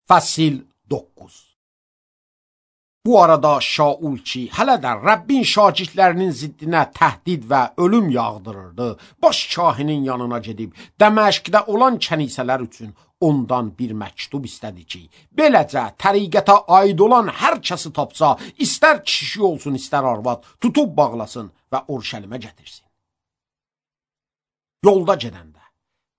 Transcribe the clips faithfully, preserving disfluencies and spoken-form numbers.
Fəsil doqquz. Bu arada Şaul ki, hələ də Rəbbin şagirdlərinin ziddinə təhdid və ölüm yağdırırdı, baş kahinin yanına gedib Dəməşqdə olan kənisələr üçün ondan bir məktub istədi ki, beləcə təriqətə aid olan hər kəsi tapsa, istər kişi olsun, istər arvad, tutub bağlasın və Urşəlimə gətirsin. Yolda gedəndə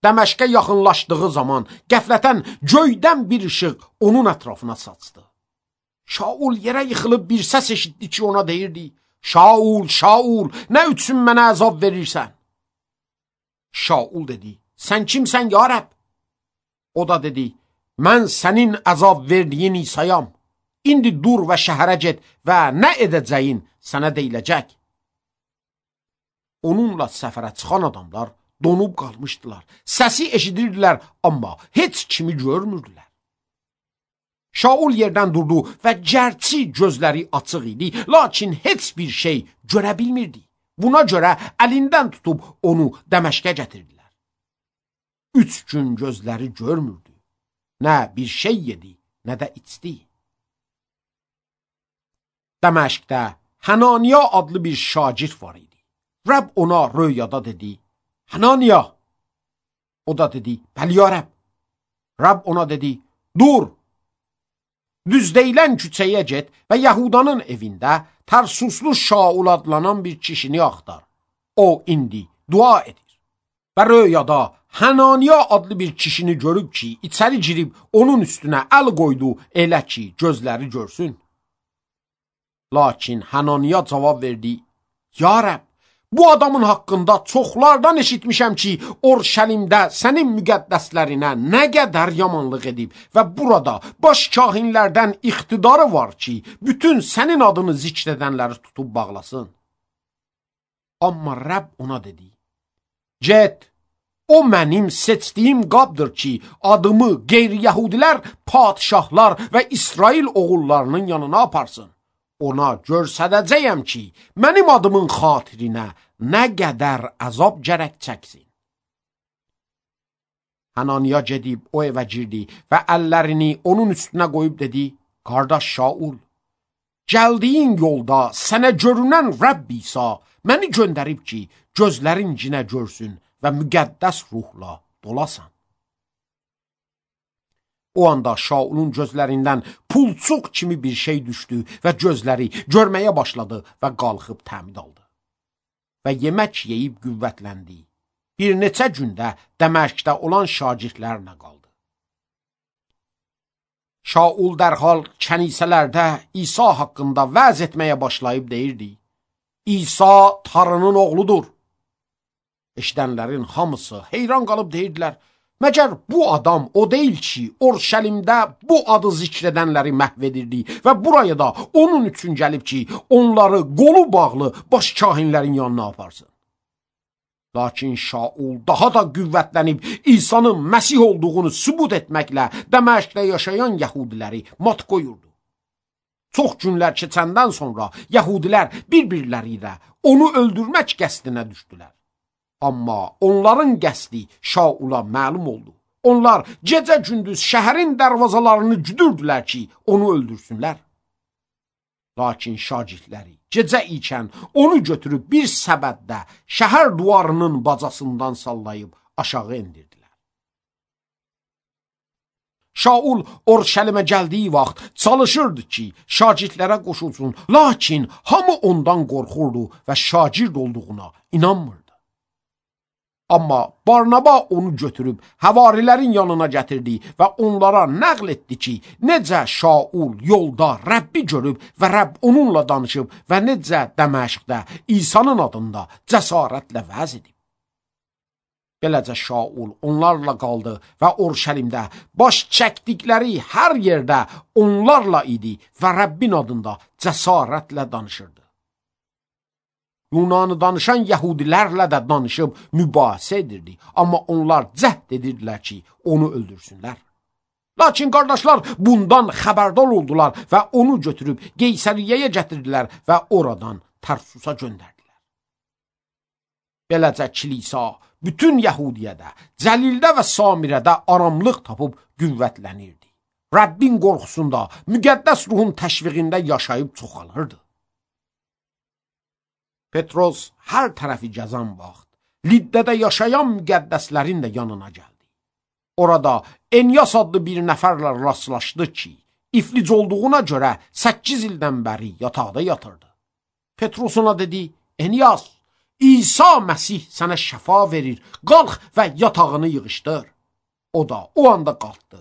Dəməşqə yaxınlaşdığı zaman qəflətən göydən bir işıq onun ətrafına saçdı. Şaul yerə yıxılıb bir səs eşitdi ki, ona deyirdi: Şaul, Şaul, nə üçün mənə əzab verirsən? Şaul dedi: Sən kimsən ya Rəbb? O da dedi: Mən sənin əzab verdiyin İsayam. İndi dur və şəhərə get və nə edəcəyin sənə deyiləcək. Onunla səfərə çıxan adamlar donub qalmışdılar. Səsi eşidirdilər, amma heç kimi görmürdülər. Şaul yerdən durdu və gərçi gözləri açıq idi, lakin heç bir şey görə bilmirdi. Buna görə əlindən tutub onu Dəməşqə gətirdilər. Üç gün gözləri görmürdü. Nə bir şey yedi, nə də içdi. Dəməşqdə Hananiya adlı bir şagird var idi. Rəbb ona röyada dedi: Hananiya. O da dedi: Bəli ya Rəbb. Rəbb ona dedi: Dur. Düz deyilən küçəyə get və Yahudanın evində Tərsuslu Şaul adlanan bir kişini axtar. O indi dua edir. Və röyada Hananiya adlı bir kişini görüb ki, içəri girib onun üstünə əl qoydu, elə ki, gözləri görsün. Lakin Hananiya cavab verdi: Ya Rəbb, bu adamın haqqında çoxlardan eşitmişəm ki, Urşəlimdə sənin müqəddəslərinə nə qədər yamanlıq edib və burada baş kahinlərdən iqtidarı var ki, bütün sənin adını zikr edənləri tutub bağlasın. Amma Rəbb ona dedi: Get, o mənim seçdiyim qabdır ki, adımı qeyri-yəhudilər, padişahlar və İsrail oğullarının yanına aparsın. Ona görsədəcəyəm ki, mənim adımın xatirinə nə qədər əzab gərək çəksin. Hananiya gedib o evə girdi və əllərini onun üstünə qoyub dedi: Qardaş Şaul, gəldiyin yolda sənə görünən Rəbb İsa məni göndərib ki, gözlərin cinə görsün və müqəddəs ruhla dolasan. O anda Şaulun gözlərindən pulçuq kimi bir şey düşdü və gözləri görməyə başladı və qalxıb təmid aldı. Və yemək yeyib qüvvətləndi. Bir neçə gündə Dəməşqdə olan şagirdlərlə qaldı. Şaul dərhal kənisələrdə İsa haqqında vəz etməyə başlayıb deyirdi: İsa Tanrının oğludur. Eşidənlərin hamısı heyran qalıb deyirdilər: Məgər bu adam o deyil ki, Urşəlimdə bu adı zikr edənləri məhv edirdi və buraya da onun üçün gəlib ki, onları qolu bağlı baş kahinlərin yanına aparsın. Lakin Şaul daha da qüvvətlənib İsa'nın Məsih olduğunu sübut etməklə Dəməşqdə yaşayan yəhudiləri mat qoyurdu. Çox günlər keçəndən sonra yəhudilər bir-birləri ilə onu öldürmək qəsdinə düşdülər. Amma onların qəsdi Şaula məlum oldu. Onlar gecə-gündüz şəhərin dərvazalarını güdürdülər ki, onu öldürsünlər. Lakin şagirdləri gecə ikən onu götürüb bir səbətdə şəhər duvarının bacasından sallayıb aşağı endirdilər. Şaul Urşəlimə gəldiyi vaxt çalışırdı ki, şagirdlərə qoşulsun, lakin hamı ondan qorxurdu və şagird olduğuna inanmırdı. Amma Barnaba onu götürüb həvarilərin yanına gətirdi və onlara nəql etdi ki, necə Şaul yolda Rəbbi görüb və Rəbb onunla danışıb və necə Dəməşqdə İsa'nın adında cəsarətlə vəz edib. Beləcə Şaul onlarla qaldı və Urşəlimdə baş çəkdikləri hər yerdə onlarla idi və Rəbbin adında cəsarətlə danışırdı. Yunanı danışan yəhudilərlə də danışıb mübahisə edirdi, amma onlar cəhd edirdilər ki, onu öldürsünlər. Lakin qardaşlar bundan xəbərdar oldular və onu götürüb Qeysəriyyəyə gətirdilər və oradan Tərsusa göndərdilər. Beləcə kilisa bütün Yəhudiyədə, Cəlildə və Samirədə aramlıq tapıb qüvvətlənirdi. Rəbbin qorxusunda, müqəddəs ruhun təşviqində yaşayıb çoxalırdı. Petros hər tərəfi gəzən vaxt, Liddədə yaşayan müqəddəslərin də yanına gəldi. Orada Enyas adlı bir nəfərlə rastlaşdı ki, iflic olduğuna görə səkkiz ildən bəri yataqda yatırdı. Petros ona dedi, Enyas, İsa Məsih sənə şəfa verir, qalx və yatağını yığışdır. O da o anda qalxdı.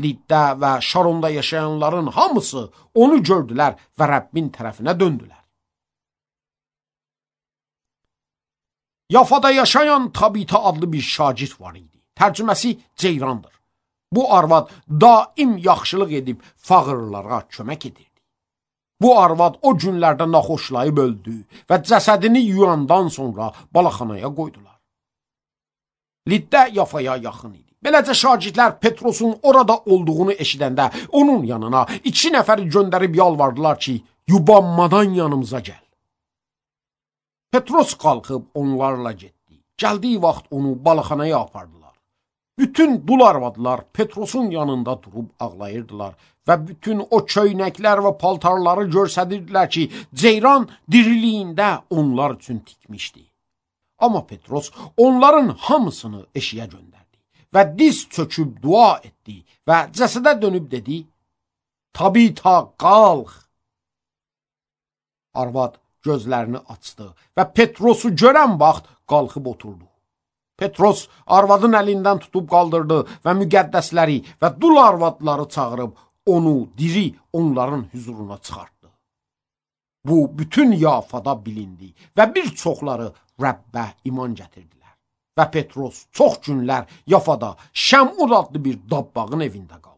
Liddə və Şaronda yaşayanların hamısı onu gördülər və Rəbbin tərəfinə döndülər. Yafada yaşayan Tabita adlı bir şagird var idi. Tərcüməsi Ceyrandır. Bu arvad daim yaxşılıq edib fağırlara kömək edirdi. Bu arvad o günlərdə naxoşlayıb öldü və cəsədini yuyandan sonra balaxanaya qoydular. Liddə Yafaya yaxın idi. Beləcə şagirdlər Petrosun orada olduğunu eşidəndə onun yanına iki nəfəri göndərib yalvardılar ki, yubanmadan yanımıza gəl. Petros qalxıb onlarla getdi. Gəldiyi vaxt onu balaxanaya apardılar. Bütün dul arvadlar Petrosun yanında durub ağlayırdılar və bütün o köynəklər və paltarları görsədirdilər ki, Ceyran diriliyində onlar üçün tikmişdi. Amma Petros onların hamısını eşiyə göndərdi və diz çöküb dua etdi və cəsədə dönüb dedi, Tabita, qalx! Arvad gözlərini açdı və Petrosu görən vaxt qalxıb oturdu. Petros arvadın əlindən tutub qaldırdı və müqəddəsləri və dul arvadları çağırıb onu diri onların huzuruna çıxartdı. Bu bütün Yafada bilindi və bir çoxları Rəbbə iman gətirdilər. Və Petros çox günlər Yafada Şəmud adlı bir dabbağın evində qaldı.